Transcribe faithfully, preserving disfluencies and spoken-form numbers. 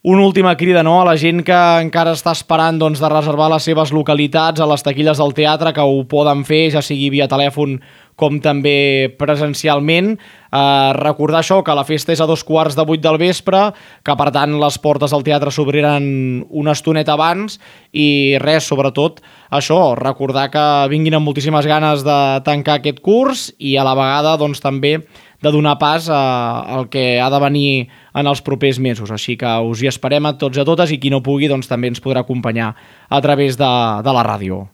una última crida, no?, a la gent que encara està esperant doncs, de reservar les seves localitats a les taquilles del teatre, que ho poden fer, ja sigui via telèfon com també presencialment. Eh, recordar això, que la festa és a dos quarts de vuit del vespre, que per tant les portes del teatre s'obriran una estoneta abans, i res, sobretot això, recordar que vinguin amb moltíssimes ganes de tancar aquest curs i a la vegada doncs, també de donar pas al que ha de venir en els propers mesos. Així que us hi esperem a tots i a totes, i qui no pugui doncs, també ens podrà acompanyar a través de, de la ràdio.